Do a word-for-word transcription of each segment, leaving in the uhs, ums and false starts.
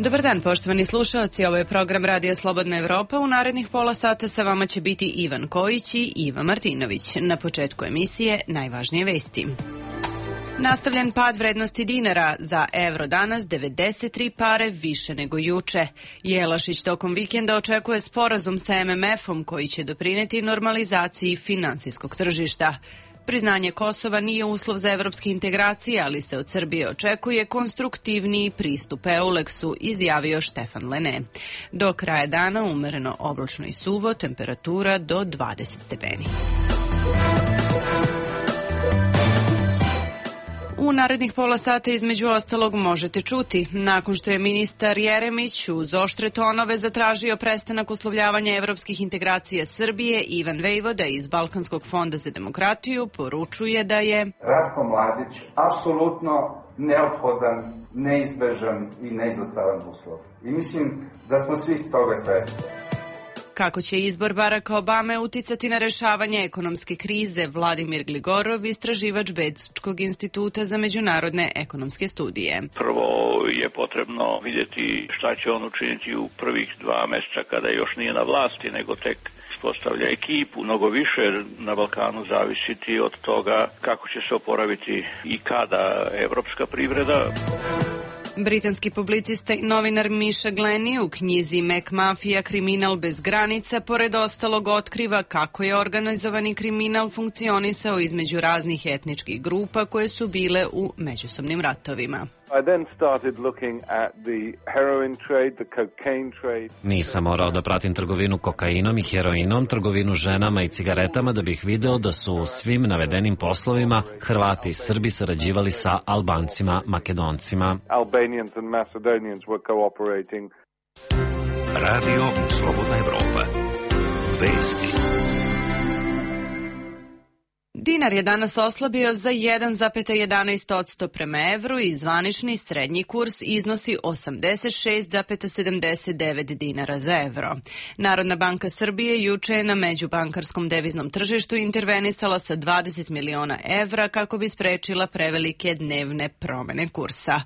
Dobar dan, poštovani slušalci, ovo je program Radija Slobodna Evropa. U narednih pola sata sa vama će biti Ivan Kojić i Iva Martinović. Na početku emisije najvažnije vesti. Nastavljen pad vrednosti dinara, za evro danas devedeset tri pare više nego juče. Jelašić tokom vikenda očekuje sporazum sa em em efom koji će doprineti normalizaciji finansijskog tržišta. Priznanje Kosova nije uslov za evropske integracije, ali se od Srbije očekuje konstruktivniji pristup Euleksu, izjavio Štefan Lene. Do kraja dana umereno oblačno i suvo, temperatura do dvadeset stepeni. U narednih pola sata između ostalog možete čuti, nakon što je ministar Jeremić uz oštre tonove zatražio prestanak uslovljavanja evropskih integracija Srbije, Ivan Vejvoda iz Balkanskog fonda za demokratiju poručuje da je Ratko Mladić apsolutno neophodan, neizbežan i neizostavan uslov. I mislim da smo svi s toga svesni. Kako će izbor Baracka Obame uticati na rešavanje ekonomske krize, Vladimir Gligorov, istraživač Bečkog instituta za međunarodne ekonomske studije. Prvo je potrebno vidjeti šta će on učiniti u prvih dva meseca kada još nije na vlasti, nego tek postavlja ekipu. Mnogo više na Balkanu zavisiti od toga kako će se oporaviti i kada evropska privreda. Britanski publicista i novinar Misha Glenny u knjizi Mac Mafija, kriminal bez granica, pored ostalog otkriva kako je organizovani kriminal funkcionisao između raznih etničkih grupa koje su bile u međusobnim ratovima. Nisam morao da pratim trgovinu kokainom i heroinom, trgovinu ženama i cigaretama da bih video da su u svim navedenim poslovima Hrvati i Srbi sarađivali sa Albancima, Makedoncima. Radio Slobodna Evropa. Vesti. Dinar je danas oslabio za jedan zarez jedanaest posto prema evru i zvanični srednji kurs iznosi osamdeset šest zarez sedamdeset devet dinara za evro. Narodna banka Srbije juče je na međubankarskom deviznom tržištu intervenisala sa dvadeset miliona evra kako bi sprečila prevelike dnevne promene kursa.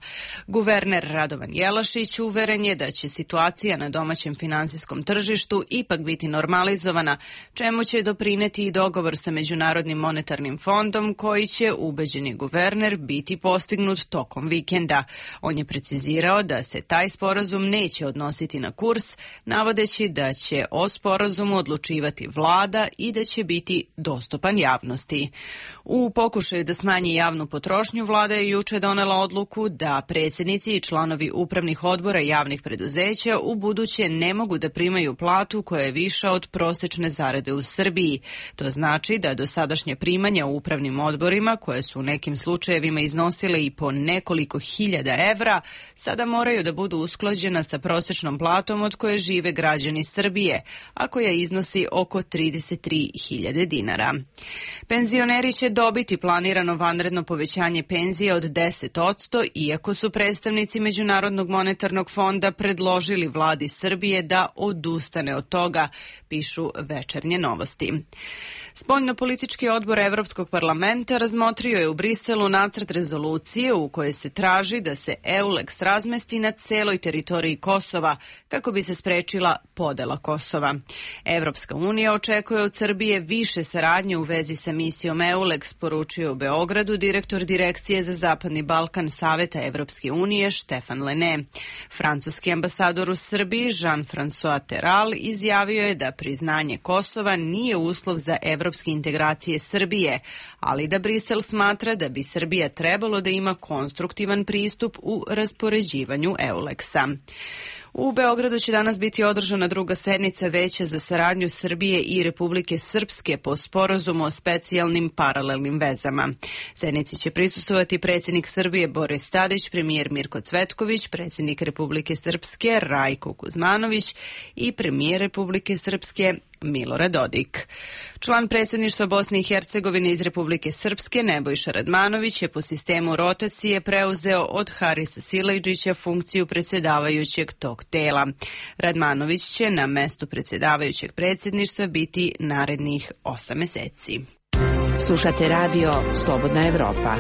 Guverner Radovan Jelašić uveren je da će situacija na domaćem finansijskom tržištu ipak biti normalizovana, čemu će doprineti i dogovor sa Međunarodnim monetarnim fondom koji će, ubeđeni guverner, biti postignut tokom vikenda. On je precizirao da se taj sporazum neće odnositi na kurs, navodeći da će o sporazumu odlučivati vlada i da će biti dostupan javnosti. U pokušaju da smanji javnu potrošnju, vlada je juče donela odluku da predsjednici i članovi upravnih odbora javnih preduzeća u buduće ne mogu da primaju platu koja je viša od prosečne zarade u Srbiji. To znači da dosadašnje primanja u upravnim odborima, koje su u nekim slučajevima iznosile i po nekoliko hiljada evra, sada moraju da budu usklađena sa prosečnom platom od koje žive građani Srbije, a koja iznosi oko trideset tri hiljade dinara. Penzioneri će dobiti planirano vanredno povećanje penzije od deset posto, iako su predstavnici Međunarodnog monetarnog fonda predložili vladi Srbije da odustane od toga, pišu Večernje novosti. Spoljnopolitički odbor Evropskog parlamenta razmotrio je u Briselu nacrt rezolucije u kojoj se traži da se Euleks razmesti na celoj teritoriji Kosova kako bi se sprečila podela Kosova. Evropska unija očekuje od Srbije više saradnje u vezi sa misijom Euleks, poručio u Beogradu direktor Direkcije za Zapadni Balkan Saveta Evropske unije Štefan Lene. Francuski ambasador u Srbiji Jean-François Terral izjavio je da priznanje Kosova nije uslov za evropske integracije Srbije, ali da Brisel smatra da bi Srbija trebalo da ima konstruktivan pristup u raspoređivanju Euleksa. U Beogradu će danas biti održana druga sednica Veća za saradnju Srbije i Republike Srpske po sporazumu o specijalnim paralelnim vezama. Sednici će prisustvovati predsjednik Srbije Boris Tadić, premijer Mirko Cvetković, predsjednik Republike Srpske Rajko Kuzmanović i premijer Republike Srpske Milorad Dodik. Član predsjedništva Bosne i Hercegovine iz Republike Srpske Nebojša Radmanović je po sistemu rotacije preuzeo od Harisa Silajdžića funkciju predsjedavajućeg tog tela. Radmanović će na mestu predsjedavajućeg predsjedništva biti narednih osam meseci. Slušate radio Slobodna Evropa.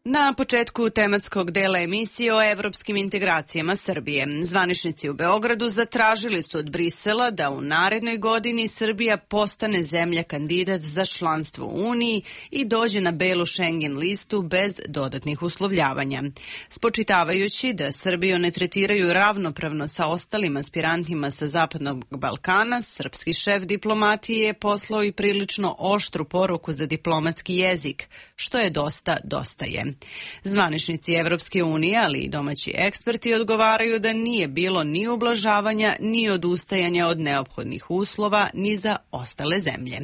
Na početku tematskog dela emisije o evropskim integracijama Srbije, zvaničnici u Beogradu zatražili su od Brisela da u narednoj godini Srbija postane zemlja kandidat za članstvo u Uniji i dođe na belu Schengen listu bez dodatnih uslovljavanja. Spočitavajući da Srbiju ne tretiraju ravnopravno sa ostalim aspirantima sa Zapadnog Balkana, srpski šef diplomatije je poslao i prilično oštru poruku za diplomatski jezik, što je dosta, dosta je. Zvaničnici Evropske unije, ali i domaći eksperti odgovaraju da nije bilo ni ublažavanja, ni odustajanja od neophodnih uslova, ni za ostale zemlje.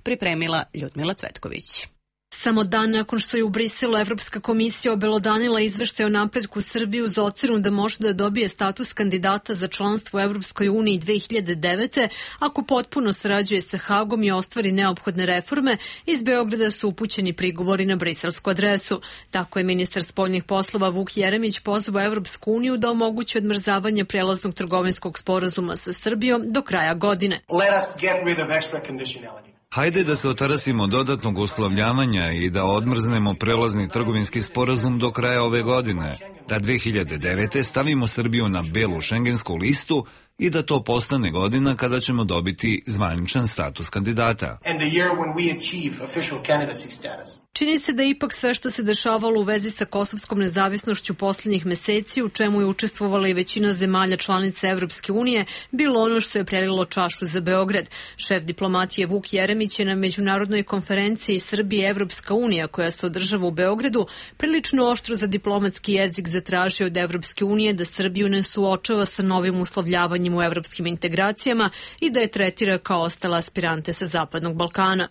Pripremila Ljudmila Cvetković. Samo dan nakon što je u Briselu Evropska komisija obelodanila izveštaj o napretku Srbije uz ocenu da može da dobije status kandidata za članstvo u Evropskoj uniji dve hiljade devete. ako potpuno sarađuje sa Hagom i ostvari neophodne reforme, iz Beograda su upućeni prigovori na briselsku adresu. Tako je ministar spoljnih poslova Vuk Jeremić pozvao Evropsku uniju da omogući odmrzavanje prelaznog trgovinskog sporazuma sa Srbijom do kraja godine. Let us get rid of extra conditionality. Hajde da se otarasimo dodatnog uslovljavanja i da odmrznemo prelazni trgovinski sporazum do kraja ove godine, da dve hiljade devete. stavimo Srbiju na belu šengensku listu i da to postane godina kada ćemo dobiti zvaničan status kandidata. Čini se da je ipak sve što se dešavalo u vezi sa kosovskom nezavisnošću poslednjih meseci, u čemu je učestvovala i većina zemalja članica Evropske unije, bilo ono što je prelilo čašu za Beograd. Šef diplomatije Vuk Jeremić je na međunarodnoj konferenciji Srbije Evropska unija, koja se održava u Beogradu, prilično oštro za diplomatski jezik zatražio od Evropske unije da Srbiju ne suočava sa novim uslovljavanjem u evropskim integracijama i da je tretira kao ostale aspirante sa Zapadnog Balkana.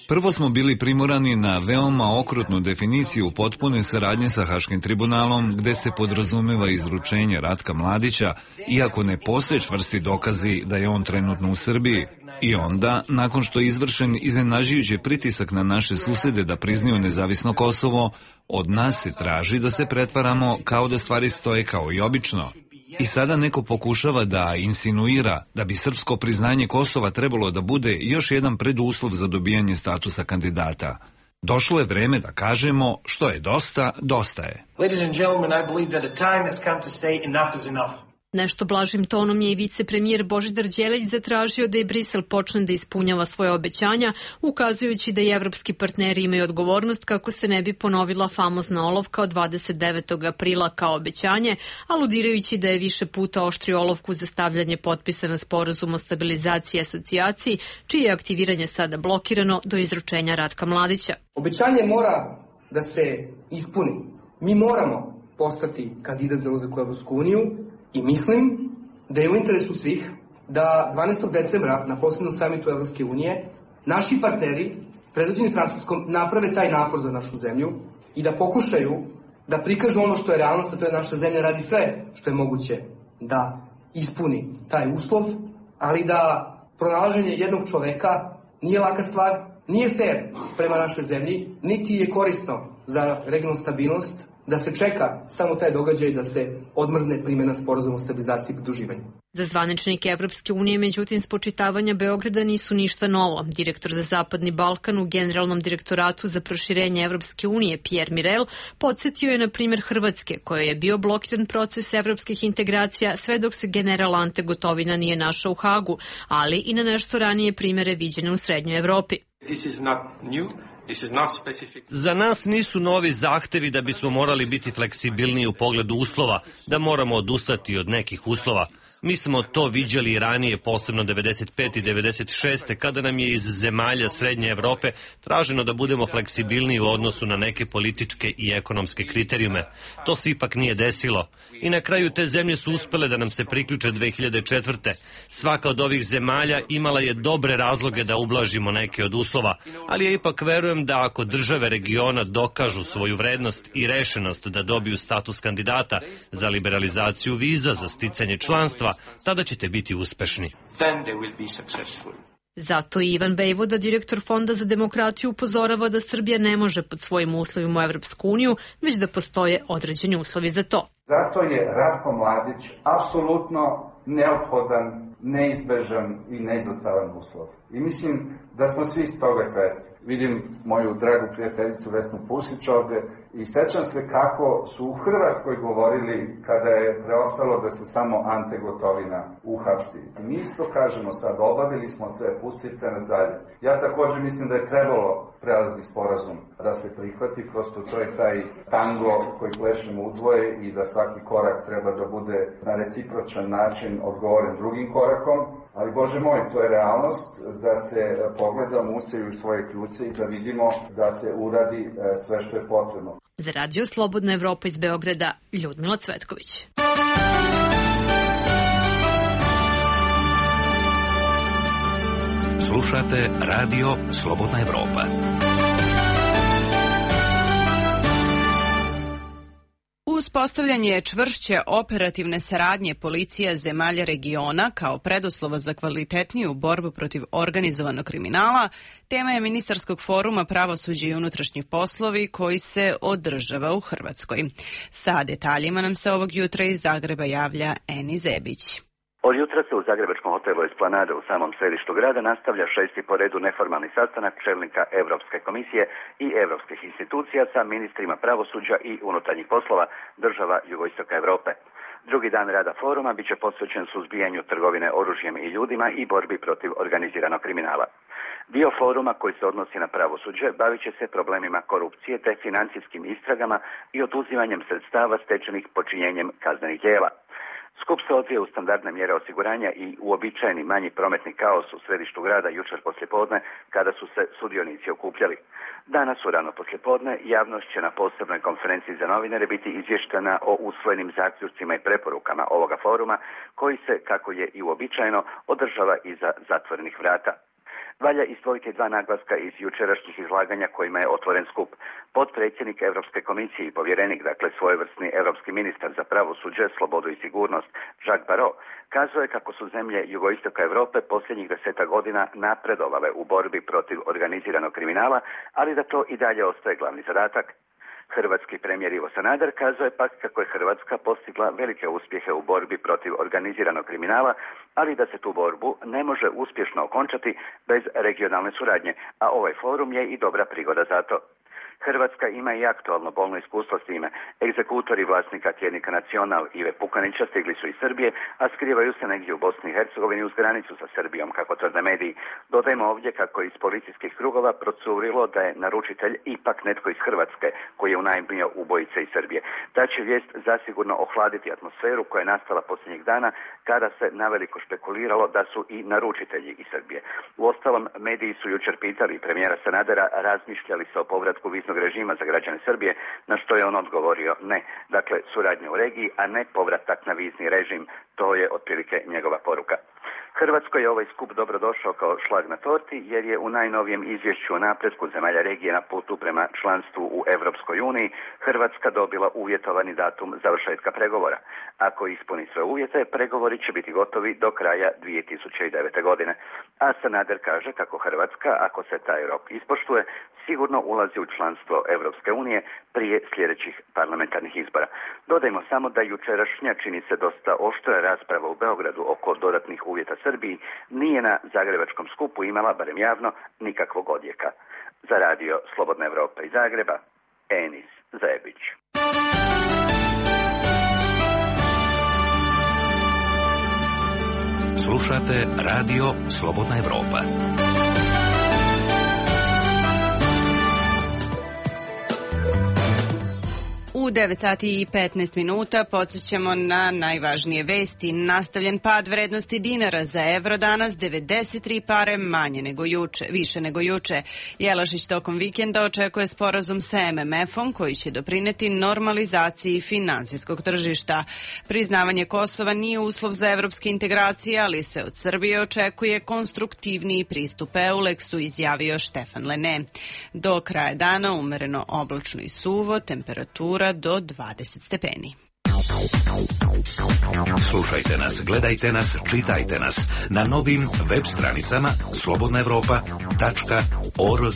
Prvo smo bili primorani na veoma okrutnu definiciju potpune saradnje sa Haškim tribunalom, gde se podrazumeva izručenje Ratka Mladića, iako ne postoje čvrsti dokazi da je on trenutno u Srbiji. I onda, nakon što je izvršen iznenađujući pritisak na naše susede da priznaju nezavisno Kosovo, od nas se traži da se pretvaramo kao da stvari stoje kao i obično. I sada neko pokušava da insinuira da bi srpsko priznanje Kosova trebalo da bude još jedan preduslov za dobijanje statusa kandidata. Došlo je vreme da kažemo što je dosta, dosta je. Ladies and gentlemen, I believe that a time has come to say enough is enough. Nešto blažim tonom je i vicepremijer Božidar Đelić zatražio da i Brisel počne da ispunjava svoje obećanja, ukazujući da i evropski partneri imaju odgovornost kako se ne bi ponovila famozna olovka od dvadeset devetog aprila kao obećanje, aludirajući da je više puta oštrio olovku za stavljanje potpisa na sporazum o stabilizaciji i asocijaciji, čije je aktiviranje sada blokirano do izručenja Ratka Mladića. Obećanje mora da se ispuni. Mi moramo postati kandidat za ulazak u Evropsku uniju, i mislim da je u interesu svih da dvanaestog decembra na posebnom samitu Evropske unije naši partneri, predvođeni Francuskom, naprave taj napor za našu zemlju i da pokušaju da prikažu ono što je realnost, a to je naša zemlja radi sve što je moguće da ispuni taj uslov, ali da pronalaženje jednog čoveka nije laka stvar, nije fair prema našoj zemlji, niti je korisno za regionalnu stabilnost, da se čeka samo taj događaj da se odmrzne primjena sporazuma o stabilizaciji i pridruživanju. Za zvaničnike Evropske unije, međutim, spočitavanja Beograda nisu ništa novo. Direktor za Zapadni Balkan u Generalnom direktoratu za proširenje Evropske unije, Pierre Mirel, podsjetio je na primjer Hrvatske, kojoj je bio blokiran proces evropskih integracija sve dok se general Ante Gotovina nije našao u Hagu, ali i na nešto ranije primjere viđene u Srednjoj Evropi. This is not new. Za nas nisu novi zahtevi da bismo morali biti fleksibilniji u pogledu uslova, da moramo odustati od nekih uslova. Mi smo to viđali i ranije, posebno devedeset pete i devedeset šeste kada nam je iz zemalja Srednje Evrope traženo da budemo fleksibilniji u odnosu na neke političke i ekonomske kriterijume. To se ipak nije desilo. I na kraju te zemlje su uspele da nam se priključe dve hiljade četvrte. Svaka od ovih zemalja imala je dobre razloge da ublažimo neke od uslova, ali ja ipak verujem da ako države regiona dokažu svoju vrednost i rešenost da dobiju status kandidata za liberalizaciju viza za sticanje članstva, tada ćete biti uspešni. Zato i Ivan Bejvoda, direktor Fonda za demokratiju, upozorava da Srbija ne može pod svojim uslovima u Evropsku uniju, već da postoje određeni uslovi za to. Zato je Ratko Mladić apsolutno neophodan neizbežan i neizostavan uslov. I mislim da smo svi s toga svesni. Vidim moju dragu prijateljicu Vesnu Pusić ovde i sećam se kako su u Hrvatskoj govorili kada je preostalo da se samo Ante Gotovina uhapsi. I mi isto kažemo sad, obavili smo sve, pustite nas dalje. Ja takođe mislim da je trebalo prelazni sporazum da se prihvati, prosto to je taj tango koji plešemo udvoje i da svaki korak treba da bude na recipročan način odgovoren drugim korakom, ali Bože moj, to je realnost da se pogledamo, useju svoje kljuce i da vidimo da se uradi sve što je potrebno. Za Radio Slobodna Evropa iz Beograda, Ljudmila Cvetković. Slušate Radio Slobodna Evropa. Uspostavljanje čvršće operativne saradnje policija zemalja regiona kao preduslova za kvalitetniju borbu protiv organizovanog kriminala tema je ministarskog foruma Pravosuđe i unutrašnji poslovi koji se održava u Hrvatskoj. Sa detaljima nam se ovog jutra iz Zagreba javlja Eni Zebić. Od jutra se u zagrebačkom hotelu Esplanade u samom središtu grada nastavlja šesti po redu neformalni sastanak čelnika Evropske komisije i evropskih institucija sa ministrima pravosuđa i unutarnjih poslova država jugoistoka Evrope. Drugi dan rada foruma biće posvećen suzbijanju trgovine oružjem i ljudima i borbi protiv organiziranog kriminala. Dio foruma koji se odnosi na pravosuđe bavit će se problemima korupcije te financijskim istragama i oduzimanjem sredstava stečenih počinjenjem kaznenih djela. Skup se odvija u standardne mjere osiguranja i uobičajeni manji prometni kaos u središtu grada jučer poslijepodne kada su se sudionici okupljali. Danas u rano poslijepodne javnost će na posebnoj konferenciji za novinare biti izvještena o usvojenim zaključcima i preporukama ovoga foruma koji se, kako je i uobičajeno, održava iza zatvorenih vrata. Valja izdvojiti dva naglaska iz jučerašnjih izlaganja kojima je otvoren skup. Potpredsjednik Europske komisije i povjerenik, dakle svojevrsni europski ministar za pravosuđe, slobodu i sigurnost, Jacques Barrot, kazuje kako su zemlje jugoistoka Europe posljednjih deseta godina napredovale u borbi protiv organiziranog kriminala, ali da to i dalje ostaje glavni zadatak. Hrvatski premijer Ivo Sanader kazuje pak kako je Hrvatska postigla velike uspjehe u borbi protiv organiziranog kriminala, ali da se tu borbu ne može uspješno okončati bez regionalne suradnje, a ovaj forum je i dobra prigoda za to. Hrvatska ima i aktualno bolno iskustvo s time. Egzekutori vlasnika tjednika Nacional Ive Pukanića stigli su iz Srbije, a skrivaju se negdje u Bosni i Hercegovini uz granicu sa Srbijom, kako tvrde mediji. Dodajmo ovdje kako je iz policijskih krugova procurilo da je naručitelj ipak netko iz Hrvatske, koji je unajmio ubojice iz Srbije. Ta će vijest zasigurno ohladiti atmosferu koja je nastala posljednjih dana kada se naveliko špekuliralo da su i naručitelji iz Srbije. Uostalom, mediji su jučer pitali premijera Sanadera razmišljali se o povratku viznog režima za građane Srbije, na što je on odgovorio ne. Dakle, suradnja u regiji, a ne povratak na vizni režim. To je otprilike njegova poruka. Hrvatskoj je ovaj skup dobrodošao kao šlag na torti, jer je u najnovijem izvješću o napretku zemalja regije na putu prema članstvu u Evropskoj uniji Hrvatska dobila uvjetovani datum završetka pregovora. Ako ispuni sve uvjete, pregovori će biti gotovi do kraja dvije tisuće devete. godine. A Sanader kaže kako Hrvatska, ako se taj rok ispoštuje, sigurno ulazi u članstvo Evropske unije prije sljedećih parlamentarnih izbora. Dodajmo samo da jučerašnja, čini se dosta oštra rasprava u Beogradu oko dodatnih uvjeta Srbiji nije na zagrebačkom skupu imala, barem javno, nikakvog odjeka. Za Radio Slobodna Evropa iz Zagreba, Enis Zebić. Slušate Radio Slobodna Evropa. U devet sati i petnaest minuta podsjećamo na najvažnije vesti. Nastavljen pad vrednosti dinara za evro danas, devedeset tri pare manje nego juče, više nego juče. Jelašić tokom vikenda očekuje sporazum sa em em efom koji će doprineti normalizaciji finansijskog tržišta. Priznavanje Kosova nije uslov za evropske integracije, ali se od Srbije očekuje konstruktivniji pristup Euleksu, izjavio Štefan Lene. Do kraja dana umereno oblačno i suvo, temperatura do dvadeset stepeni. Slušajte nas, gledajte nas, čitajte nas na novim web stranicama slobodna evropa tačka org.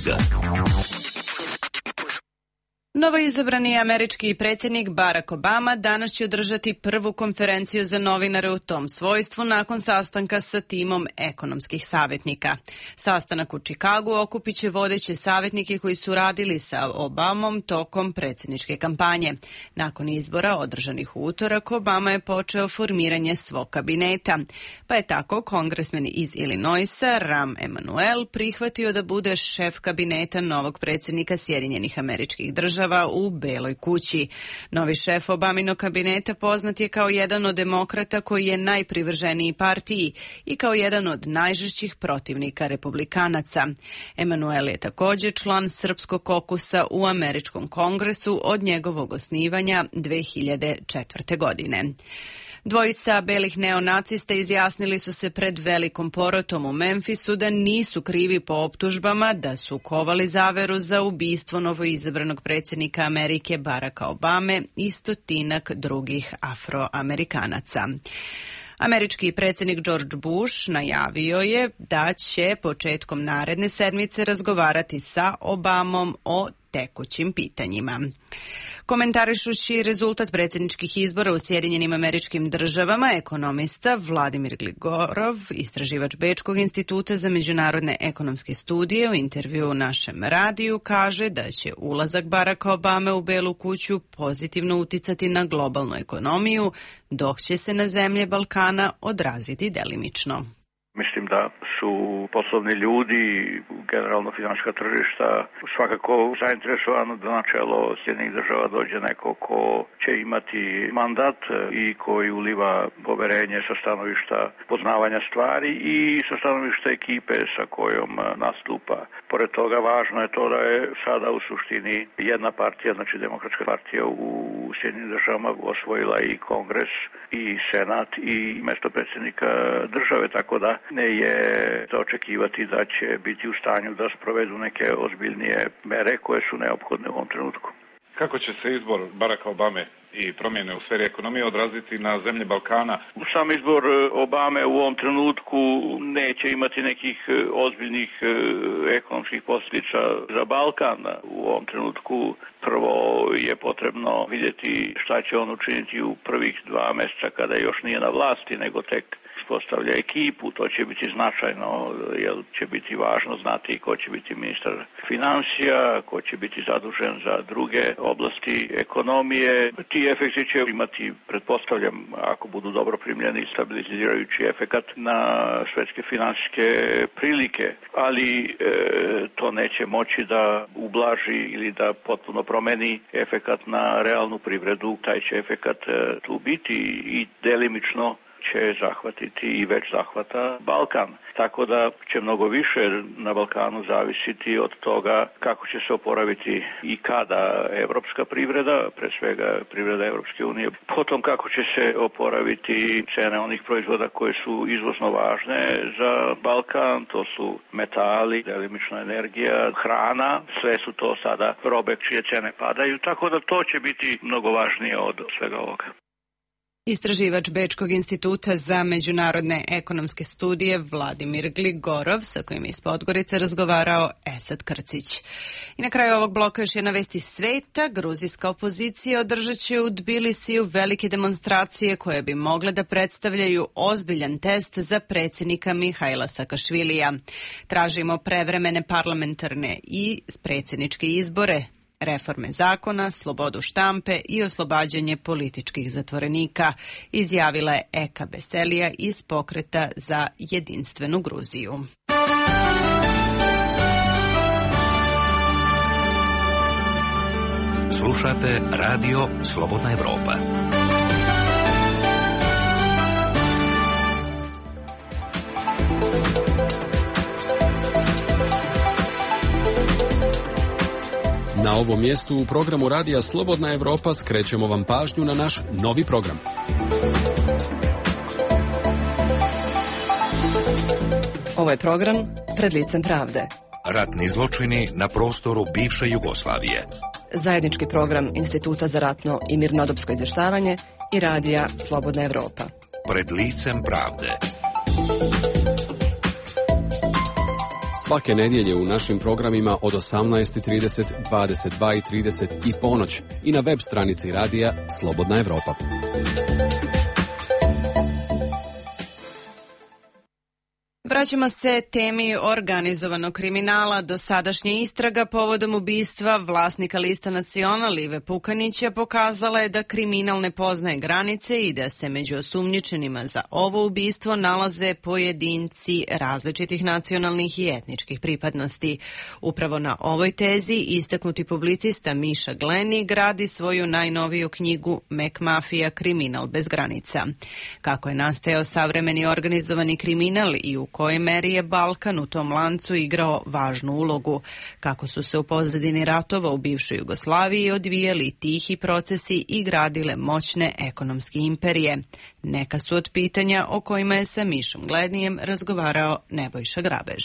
Novoizabrani američki predsjednik Barack Obama danas će održati prvu konferenciju za novinare u tom svojstvu nakon sastanka sa timom ekonomskih savjetnika. Sastanak u Čikagu okupit će vodeće savjetnike koji su radili sa Obamom tokom predsjedničke kampanje. Nakon izbora održanih u utorak, Obama je počeo formiranje svog kabineta, pa je tako kongresmen iz Illinoisa Rahm Emanuel prihvatio da bude šef kabineta novog predsjednika Sjedinjenih Američkih Država u Beloj kući. Novi šef Obaminog kabineta poznat je kao jedan od demokrata koji je najprivrženiji partiji i kao jedan od najžešćih protivnika republikanaca. Emanuel je također član srpskog kokusa u Američkom kongresu od njegovog osnivanja dve hiljade četvrte. godine. Dvojica belih neonacista izjasnili su se pred velikom porotom u Memphisu da nisu krivi po optužbama da su kovali zaveru za ubistvo novoizabranog predsjednika Amerike Baracka Obame i stotinak drugih Afroamerikanaca. Američki predsjednik George Bush najavio je da će početkom naredne sedmice razgovarati sa Obamom o tekućim pitanjima. Komentarišući rezultat predsjedničkih izbora u Sjedinjenim Američkim Državama, ekonomista Vladimir Gligorov, istraživač Bečkog instituta za međunarodne ekonomske studije, u intervju u našem radiju kaže da će ulazak Baracka Obame u Belu kuću pozitivno uticati na globalnu ekonomiju, dok će se na zemlje Balkana odraziti delimično. Mislim da su poslovni ljudi, generalno financijska tržišta, svakako zainteresovano da na čelo Sjedinjenih Država dođe neko ko će imati mandat i koji uliva poverenje sa stanovišta poznavanja stvari i sa stanovišta ekipe sa kojom nastupa. Pored toga, važno je to da je sada u suštini jedna partija, znači Demokratska partija u Sjedinjenim Državama, osvojila i Kongres i Senat i mesto predsjednika države, tako da ne je za očekivati da će biti u stanju da sprovedu neke ozbiljnije mere koje su neophodne u ovom trenutku. Kako će se izbor Baracka Obame i promjene u sferi ekonomije odraziti na zemlje Balkana? Sam izbor Obame u ovom trenutku neće imati nekih ozbiljnih ekonomskih posljedica za Balkan. U ovom trenutku prvo je potrebno vidjeti šta će on učiniti u prvih dva mjeseca kada još nije na vlasti, nego tek postavlja ekipu. To će biti značajno, jer će biti važno znati ko će biti ministar financija, ko će biti zadužen za druge oblasti ekonomije. Ti efekti će imati, pretpostavljam, ako budu dobro primljeni, stabilizirajući efekat na svetske financijske prilike, ali e, to neće moći da ublaži ili da potpuno promeni efekat na realnu privredu. Taj će efekat e, tu biti i delimično će zahvatiti i već zahvata Balkan. Tako da će mnogo više na Balkanu zavisiti od toga kako će se oporaviti i kada evropska privreda, pre svega privreda Evropske unije, potom kako će se oporaviti cene onih proizvoda koje su izvozno važne za Balkan, to su metali, delimično energija, hrana, sve su to sada robe čije cene padaju, tako da to će biti mnogo važnije od svega ovoga. Istraživač Bečkog instituta za međunarodne ekonomske studije Vladimir Gligorov, sa kojim je iz Podgorice razgovarao Esad Krcić. I na kraju ovog bloka još jedna vest iz sveta. Gruzijska opozicija održat će u Tbilisiju velike demonstracije koje bi mogle da predstavljaju ozbiljan test za predsjednika Mihajla Sakašvilija. Tražimo prevremene parlamentarne i predsjedničke izbore, reforme zakona, slobodu štampe i oslobađanje političkih zatvorenika, izjavila je Eka Beselija iz Pokreta za jedinstvenu Gruziju. Slušate Radio Slobodna Evropa. Na ovom mjestu u programu Radija Slobodna Evropa skrećemo vam pažnju na naš novi program. Ovo je program Pred licem pravde. Ratni zločini na prostoru bivše Jugoslavije. Zajednički program Instituta za ratno i mirnodopsko izvještavanje i Radija Slobodna Evropa. Pred licem pravde. Svake nedjelje u našim programima od osamnaest i trideset, dvadeset dva i trideset i ponoć i na web stranici radija Slobodna Evropa. Vraćamo se temi organizovanog kriminala. Dosadašnja istraga povodom ubistva vlasnika Lista Nacional Ive Pukanića pokazala je da kriminal ne poznaje granice i da se među osumnjičenima za ovo ubistvo nalaze pojedinci različitih nacionalnih i etničkih pripadnosti. Upravo na ovoj tezi istaknuti publicista Miša Gleni gradi svoju najnoviju knjigu Mek Mafija, kriminal bez granica. Kako je nastajao savremeni organizovani kriminal i u kojoj meri je Balkan u tom lancu igrao važnu ulogu, kako su se u pozadini ratova u bivšoj Jugoslaviji odvijali tihi procesi i gradile moćne ekonomske imperije. Neka su od pitanja o kojima je sa Mišom Glenijem razgovarao Nebojša Grabež.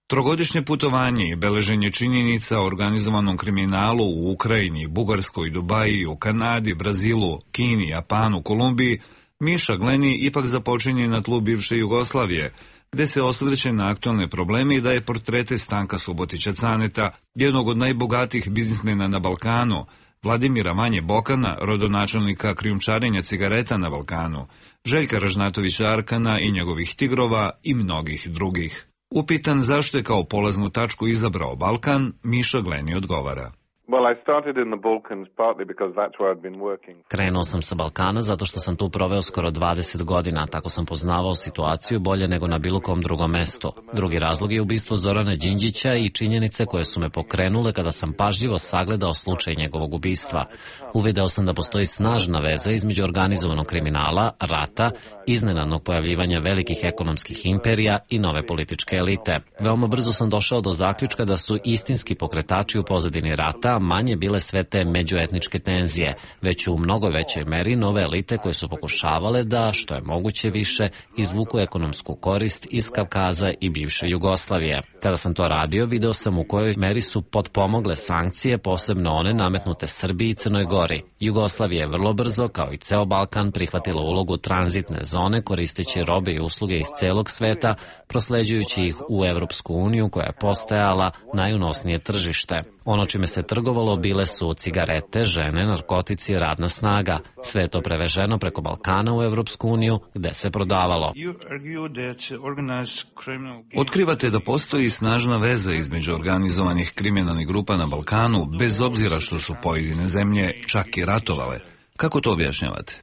Trogodišnje putovanje i beleženje činjenica o organizovanom kriminalu u Ukrajini, Bugarskoj, Dubaji, u Kanadi, Brazilu, Kini, Japanu, Kolumbiji, Miša Gleni ipak započinje na tlu bivše Jugoslavije, gde se osvrće na aktualne probleme i daje portrete Stanka Subotića Caneta, jednog od najbogatijih biznismena na Balkanu, Vladimira Vanje Bokana, rodonačelnika krijumčarenja cigareta na Balkanu, Željka Ražnatovića Arkana i njegovih tigrova i mnogih drugih. Upitan zašto je kao polaznu tačku izabrao Balkan, Miša Gleni odgovara. Krenuo sam sa Balkana zato što sam tu proveo skoro dvadeset godina, tako sam poznavao situaciju bolje nego na bilo kom drugom mestu. Drugi razlog je ubistvo Zorana Đinđića i činjenice koje su me pokrenule kada sam pažljivo sagledao slučaj njegovog ubistva. Uvideo sam da postoji snažna veza između organizovanog kriminala, rata, iznenadnog pojavljivanja velikih ekonomskih imperija i nove političke elite. Veoma brzo sam došao do zaključka da su istinski pokretači u pozadini rata manje bile sve te međuetničke tenzije, već u mnogo većoj meri nove elite koje su pokušavale da, što je moguće više, izvuku ekonomsku korist iz Kavkaza i bivše Jugoslavije. Kada sam to radio, video sam u kojoj meri su potpomogle sankcije, posebno one nametnute Srbiji i Crnoj Gori. Jugoslavija je vrlo brzo, kao i ceo Balkan, prihvatila ulogu tranzitne zone koristeći robe i usluge iz celog sveta, prosleđujući ih u Evropsku uniju koja je postajala najunosnije tržište. Ono čime se trgovalo bile su cigarete, žene, narkotici i radna snaga. Sve je to preveženo preko Balkana u Evropsku uniju, gde se prodavalo. Otkrivate da postoji snažna veza između organizovanih kriminalnih grupa na Balkanu, bez obzira što su pojedine zemlje čak i ratovale. Kako to objašnjavate?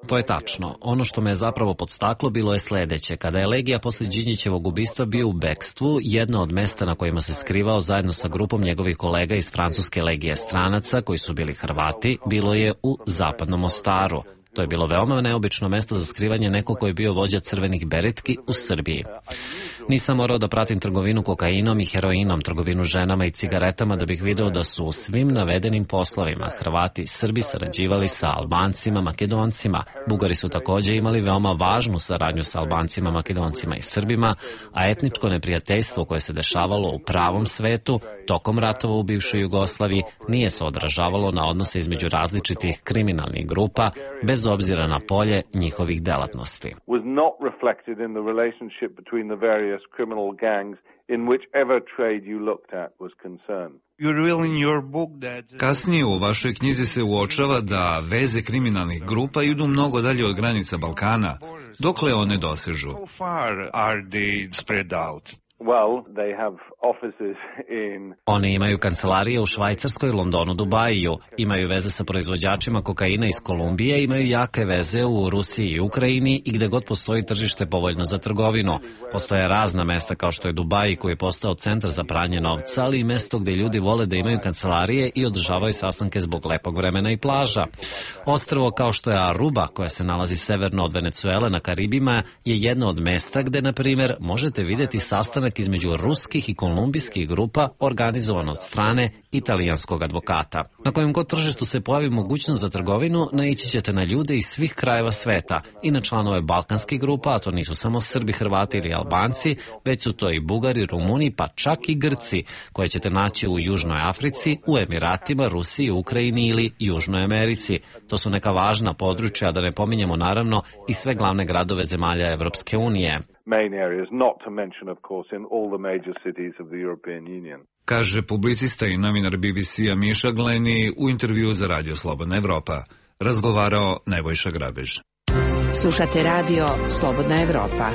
To je tačno. Ono što me je zapravo podstaklo bilo je sledeće. Kada je Legija posle Đinđićevog ubistva bio u bekstvu, jedno od mesta na kojima se skrivao zajedno sa grupom njegovih kolega iz francuske legije stranaca, koji su bili Hrvati, bilo je u Zapadnom Mostaru. To je bilo veoma neobično mesto za skrivanje nekog koji je bio vođa crvenih beretki u Srbiji. Nisam morao da pratim trgovinu kokainom i heroinom, trgovinu ženama i cigaretama da bih video da su u svim navedenim poslovima Hrvati i Srbi sarađivali sa Albancima, Makedoncima. Bugari su takođe imali veoma važnu saradnju sa Albancima, Makedoncima i Srbima, a etničko neprijateljstvo koje se dešavalo u pravom svetu tokom ratova u bivšoj Jugoslaviji nije se odražavalo na odnose između različitih kriminalnih grupa, bez obzira na polje njihovih delatnosti. Kasnije u vašoj knjizi se uočava da veze kriminalnih grupa idu mnogo dalje od granica Balkana. Dokle one dosežu? Oni imaju kancelarije u Švajcarskoj, Londonu, Dubaju, imaju veze sa proizvođačima kokaina iz Kolumbije, imaju jake veze u Rusiji i Ukrajini i gde god postoji tržište povoljno za trgovinu. Postoje razna mesta kao što je Dubai koji je postao centar za pranje novca, ali i mesto gde ljudi vole da imaju kancelarije i održavaju sastanke zbog lepog vremena i plaža. Ostrvo kao što je Aruba, koja se nalazi severno od Venecuele na Karibima, je jedno od mesta gde, na primjer, možete videti sastanak sastanak između ruskih i kolumbijskih grupa organizovan od strane italijanskog advokata. Na kojem god tržištu se pojavi mogućnost za trgovinu, naići ćete na ljude iz svih krajeva sveta i na članove balkanskih grupa, a to nisu samo Srbi, Hrvati ili Albanci, već su to i Bugari, Rumuni, pa čak i Grci, koje ćete naći u Južnoj Africi, u Emiratima, Rusiji, Ukrajini ili Južnoj Americi. To su neka važna područja, da ne pominjemo naravno i sve glavne gradove zemalja Evropske unije. Kaže publicista i novinar B B C-a Miša Gleni u intervju za Radio Slobodna Evropa. Razgovarao Nebojša Grabež. Slušate Radio Slobodna Evropa.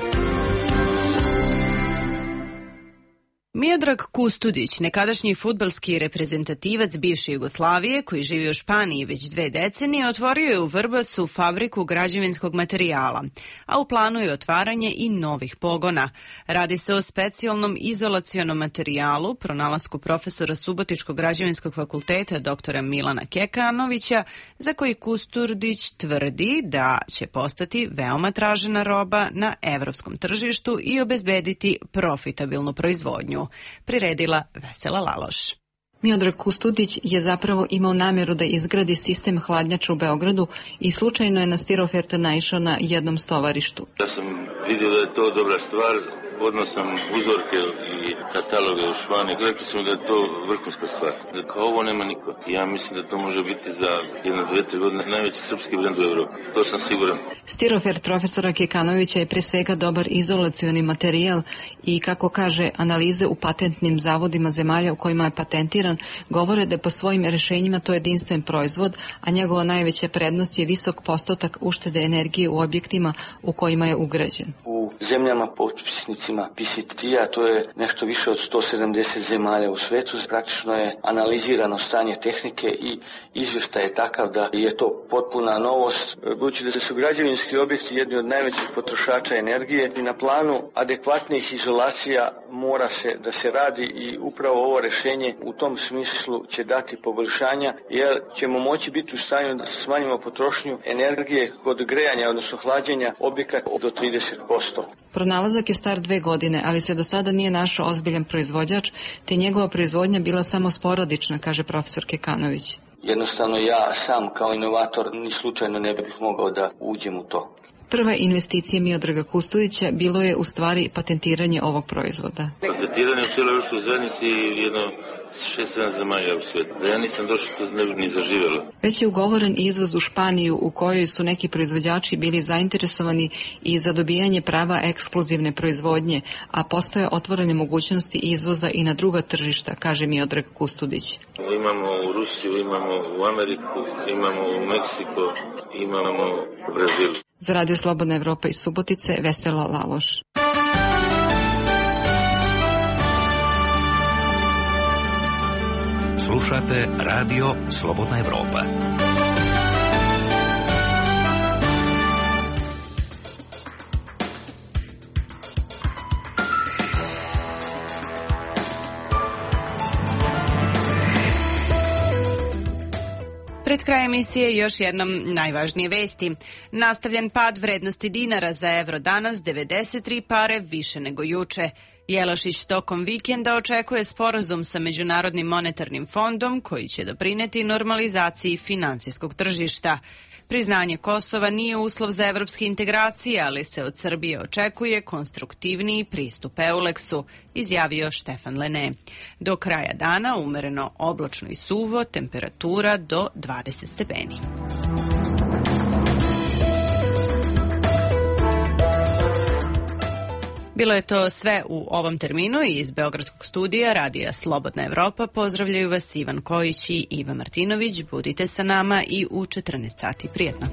Miodrag Kustudić, nekadašnji fudbalski reprezentativac bivše Jugoslavije koji živi u Španiji već dve decenije, otvorio je u Vrbasu fabriku građevinskog materijala, a u planu je otvaranje i novih pogona. Radi se o specijalnom izolacionom materijalu, pronalasku profesora Subotičkog građevinskog fakulteta doktora Milana Kekanovića, za koji Kustudić tvrdi da će postati veoma tražena roba na evropskom tržištu i obezbediti profitabilnu proizvodnju. Priredila Vesela Laloš. Miodrag Kustudić je zapravo imao namjeru da izgradi sistem hladnjača u Beogradu i slučajno je na Stiroferta naišao na jednom stovarištu. Ja sam vidio da je to dobra stvar, podno sam uzorke i kataloge u Španiji, rekli su mi da je to vrhunska stvar, da kao ovo nema niko. Ja mislim da to može biti za jedno, dve, tri godine najveći srpski brend u Evropi, to sam siguran. Stirofert profesora Kekanovića je pre svega dobar izolacioni materijal i, kako kaže, analize u patentnim zavodima zemalja u kojima je patentiran govore da je po svojim rešenjima to jedinstven proizvod, a njegova najveća prednost je visok postotak uštede energije u objektima u kojima je ugrađen. U zemljama potpisnicima P C T-a, to je nešto više od sto sedamdeset zemalja u svetu, praktično je analizirano stanje tehnike i izvještaj je takav da je to potpuna novost, budući da su građevinski objekti jedni od najvećih potrošača energije i na planu adekvatnih izolacija mora se da se radi i upravo ovo rešenje u tom smislu će dati poboljšanja, jer ćemo moći biti u stanju da smanjimo potrošnju energije kod grejanja, odnosno hlađenja objekata do trideset posto. Pronalazak je star dve godine, ali se do sada nije našao ozbiljan proizvođač, te njegova proizvodnja bila samo sporadična, kaže profesor Kekanović. Jednostavno ja sam kao inovator ni slučajno ne bih mogao da uđem u to. Prva investicija Miodraga Kustudića bilo je u stvari patentiranje ovog proizvoda. Patentiranje u cijeloj evropskoj zajednici je jedno šest sedam zemalja u svijetu. Da ja nisam došao, to ne bi ni zaživjelo. Već je ugovoren izvoz u Španiju, u kojoj su neki proizvođači bili zainteresovani i za dobijanje prava ekskluzivne proizvodnje, a postoje otvorene mogućnosti izvoza i na druga tržišta, kaže Miodrag Kustudić. Imamo u Rusiju, imamo u Ameriku, imamo u Meksiko, imamo u Brazilu. Za Radio Slobodna Evropa iz Subotice, Vesela Laloš. Slušate Radio Slobodna Evropa. Pred kraj emisije još jednom najvažnije vesti. Nastavljen pad vrednosti dinara za evro danas, devedeset tri pare više nego juče. Jelašić tokom vikenda očekuje sporazum sa Međunarodnim monetarnim fondom koji će doprineti normalizaciji finansijskog tržišta. Priznanje Kosova nije uslov za evropske integracije, ali se od Srbije očekuje konstruktivniji pristup Euleksu, izjavio Štefan Lene. Do kraja dana umereno oblačno i suvo, temperatura do dvadeset stepeni. Bilo je to sve u ovom terminu i iz Beogradskog studija Radija Slobodna Evropa. Pozdravljaju vas Ivan Kojić i Iva Martinović. Budite sa nama i u četrnaest sati. Prijetno.